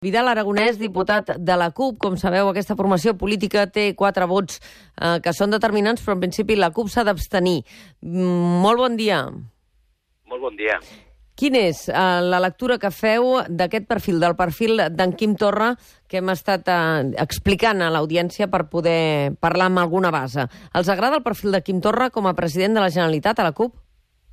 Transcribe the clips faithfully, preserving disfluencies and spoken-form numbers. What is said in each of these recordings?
Vidal Aragonès, diputat de la CUP. Com sabeu, aquesta formació política té quatre vots eh, que són determinants, però en principi la CUP s'ha d'abstenir. Mm, molt bon dia. Molt bon dia. Quina és eh, la lectura que feu d'aquest perfil, del perfil d'en Quim Torra, que hem estat eh, explicant a l'audiència per poder parlar amb alguna base? Els agrada el perfil de Quim Torra com a president de la Generalitat a la CUP?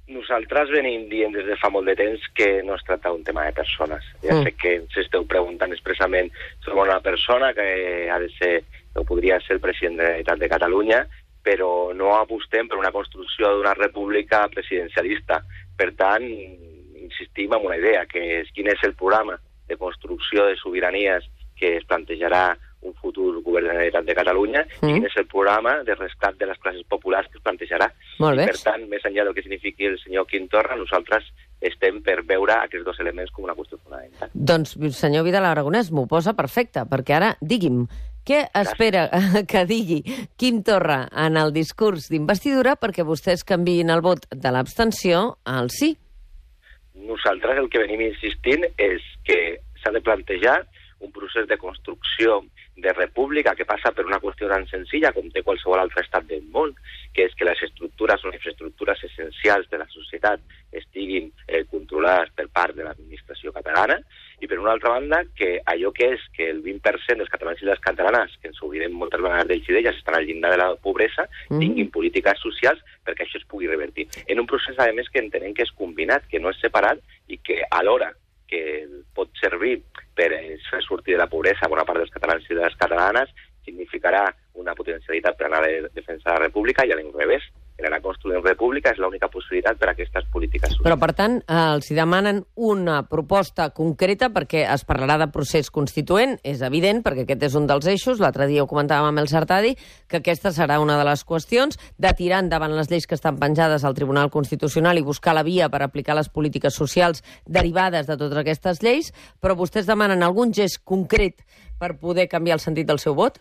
Nosaltres venim dient des de fa molt de temps que no es tracta d'un tema de persones. Ja mm. sé que ens esteu preguntant expressament sobre una persona que ha de ser, o podria ser el president de la Generalitat de Catalunya, però no apostem per una construcció d'una república presidencialista. Per tant, insistim en una idea, que és quin és el programa de construcció de sobiranies que es plantejarà un futur govern de la Generalitat de Catalunya, mm. i quin és el programa de rescat de les classes populars que es plantejarà. Molt bé. I, per tant, més enllà del que signifiqui el senyor Quim Torra, nosaltres estem per veure aquests dos elements com una qüestió fonamental. Doncs, senyor Vidal Aragonès, m'ho posa perfecte, perquè ara, digui'm, què espera que digui Quim Torra en el discurs d'investidura perquè vostès canviïn el vot de l'abstenció al sí? Nosaltres el que venim insistint és que s'ha de plantejar un procés de construcció de república que passa per una qüestió tan senzilla com té qualsevol altre estat del món, que és que les estructures o infraestructures essencials de la societat estiguin eh, controlades per part de l'administració catalana, i per una altra banda que allò que és que el vint per cent dels catalans i les catalanes, que ens oblidem moltes vegades d'ells i d'elles, estan al llindar de la pobresa, mm. tinguin polítiques socials perquè això es pugui revertir. En un procés, a més, que entenem que és combinat, que no és separat, i que alhora que pot servir per fer sortir de la pobresa bona part dels catalans i de les catalanes, significarà una potencialitat per anar a defensar la república, i a l'inrevés, per anar construint república és l'única possibilitat per a aquestes polítiques socials. Però, per tant, eh, els demanen una proposta concreta perquè es parlarà de procés constituent, és evident, perquè aquest és un dels eixos, l'altre dia ho comentàvem amb el Sartadi, que aquesta serà una de les qüestions, de tirar endavant les lleis que estan penjades al Tribunal Constitucional i buscar la via per aplicar les polítiques socials derivades de totes aquestes lleis, però vostès demanen algun gest concret per poder canviar el sentit del seu vot?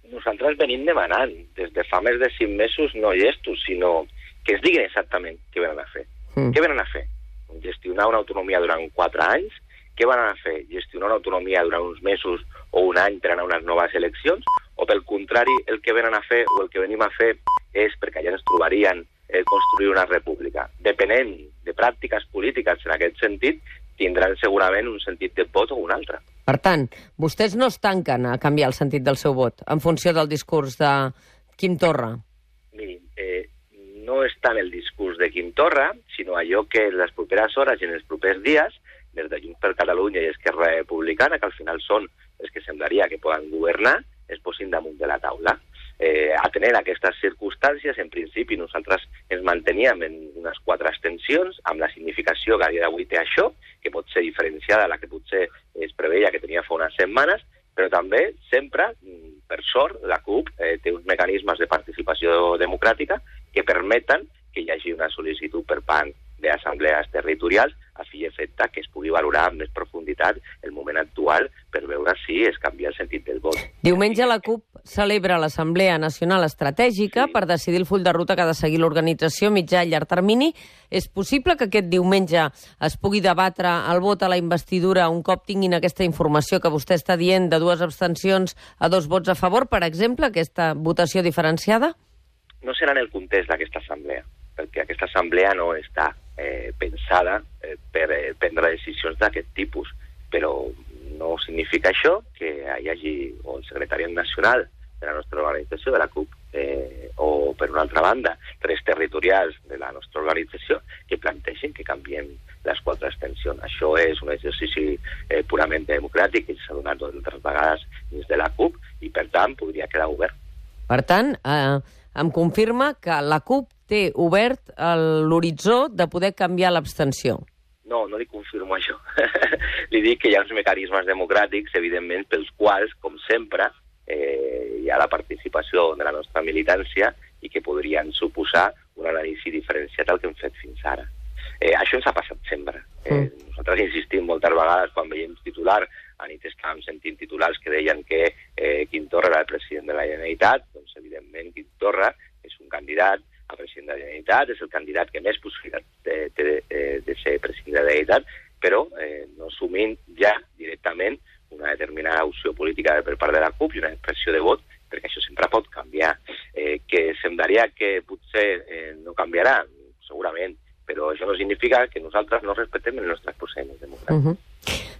Nosaltres venim demanant, des de fa més de cinc mesos, no gestos, sinó que es diguin exactament què venen a fer. Mm. Què venen a fer? Gestionar una autonomia durant quatre anys? Què van a fer? Gestionar una autonomia durant uns mesos o un any per anar a unes noves eleccions? O, pel contrari, el que venen a fer o el que venim a fer és, perquè allà ens trobarien, eh, construir una república. Depenent de pràctiques polítiques en aquest sentit, tindran segurament un sentit de vot o un altre. Per tant, vostès no es tanquen a canviar el sentit del seu vot en funció del discurs de Quim Torra? Mirin, eh, no és tant el discurs de Quim Torra, sinó allò que en les properes hores i en els propers dies, des de Junts per Catalunya i Esquerra Republicana, que al final són els que semblaria que poden governar, es posin damunt de la taula. Eh, atenent a aquestes circumstàncies, en principi nosaltres ens manteníem en unes quatre abstencions, amb la significació que a dia d'avui té això, que pot ser diferenciada a la que potser es preveia que tenia fa unes setmanes, però també sempre, per sort, la CUP eh, té uns mecanismes de participació democràtica que permeten que hi hagi una sol·licitud per part d'assemblees territorials a fi i efecte que es pugui valorar amb més profunditat el moment actual per veure si es canvia el sentit del vot. Diumenge la CUP celebra l'Assemblea Nacional Estratègica sí. per decidir el full de ruta que ha de seguir l'organització mitjà i llarg termini. És possible que aquest diumenge es pugui debatre el vot a la investidura un cop tinguin aquesta informació que vostè està dient de dues abstencions a dos vots a favor, per exemple, aquesta votació diferenciada? No serà en el context d'aquesta assemblea, perquè aquesta assemblea no està eh, pensada eh, per eh, prendre decisions d'aquest tipus, però no significa això que hi hagi o el secretariat nacional de la nostra organització, de la CUP, eh, o, per una altra banda, tres territorials de la nostra organització que plantegin que canviem les quatre abstencions. Això és un exercici eh, purament democràtic que s'ha donat altres vegades dins de la CUP i, per tant, podria quedar obert. Per tant, eh, em confirma que la CUP té obert l'horitzó de poder canviar l'abstenció. No, no li confirmo això. Li dic que hi ha uns mecanismes democràtics, evidentment, pels quals, com sempre, eh, hi ha la participació de la nostra militància i que podrien suposar un anàlisi diferenciat al que hem fet fins ara. Eh, això ens ha passat sempre. Eh, mm. Nosaltres insistim moltes vegades quan veiem titular, a nit estàvem sentint titulars que deien que eh, Quim Torra era el president de la Generalitat, doncs evidentment Quim Torra és un candidat a president de la Generalitat, és el candidat que més possibilitat té de, de, de ser president de la Generalitat, però eh, no assumint ja directament un determinada opció política per part de la CUP i una expressió de vot, perquè això sempre pot canviar. Eh, que semblaria que potser eh, no canviarà, segurament, però això no significa que nosaltres no respectem els nostres procediments democràtics. Uh -huh.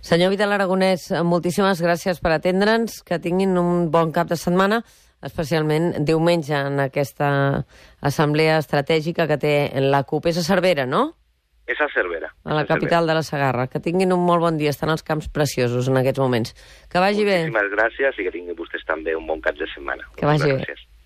Senyor Vidal Aragonès, moltíssimes gràcies per atendre'ns, que tinguin un bon cap de setmana, especialment diumenge en aquesta assemblea estratègica que té la CUP. És a Cervera, no? És a Cervera. A la capital de la Segarra. Que tinguin un molt bon dia, estan els camps preciosos en aquests moments. Que vagi bé. Moltíssimes gràcies i que tinguin vostès també un bon cap de setmana. Que vagi bé.